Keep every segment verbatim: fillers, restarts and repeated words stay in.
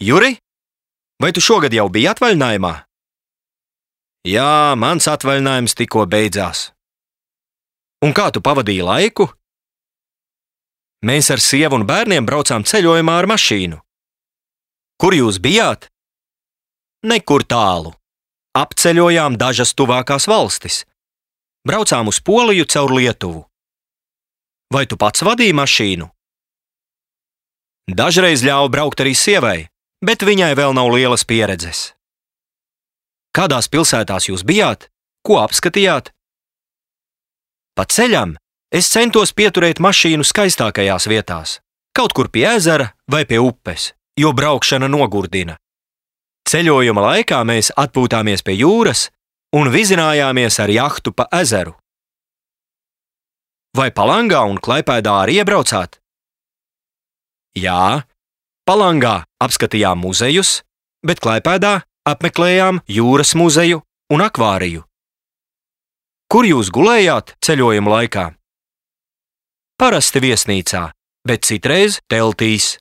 Juri, vai tu šogad jau biji atvaļinājumā? Jā, mans atvaļinājums tikko beidzās. Un kā tu pavadīji laiku? Mēs ar sievu un bērniem braucām ceļojumā ar mašīnu. Kur jūs bijāt? Nekur tālu. Apceļojām dažas tuvākās valstis. Braucām uz Poliju caur Lietuvu. Vai tu pats vadīji mašīnu? Dažreiz ļāva braukt arī sievai, bet viņai vēl nav lielas pieredzes. Kādās pilsētās jūs bijāt? Ko apskatījāt? Pa ceļam es centos pieturēt mašīnu skaistākajās vietās, kaut kur pie ezera vai pie upes, jo braukšana nogurdina. Ceļojuma laikā mēs atpūtāmies pie jūras un vizinājāmies ar jahtu pa ezeru. Vai Palangā un Klaipēdā arī iebraucāt? Jā, Palangā apskatījām muzejus, bet Klaipēdā apmeklējām jūras muzeju un akvāriju. Kur jūs gulējāt ceļojuma laikā? Parasti viesnīcā, bet citreiz teltīs.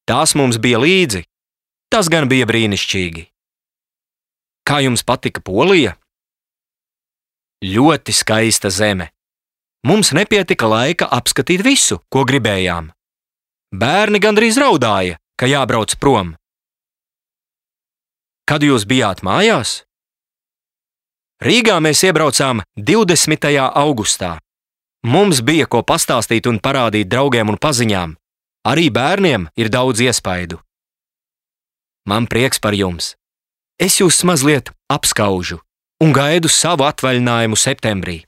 Tās mums bija līdzi. Tas gan bija brīnišķīgi. Kā jums patika Polija? Ļoti skaista zeme. Mums nepietika laika apskatīt visu, ko gribējām. Bērni gandrīz raudāja, ka jābrauc prom. Kad jūs bijāt mājās? Rīgā mēs iebraucām divdesmitajā augustā. Mums bija ko pastāstīt un parādīt draugiem un paziņām. Arī bērniem ir daudz iespaidu. Man prieks par jums. Es jūs mazliet apskaužu un gaidu savu atvaļinājumu septembrī.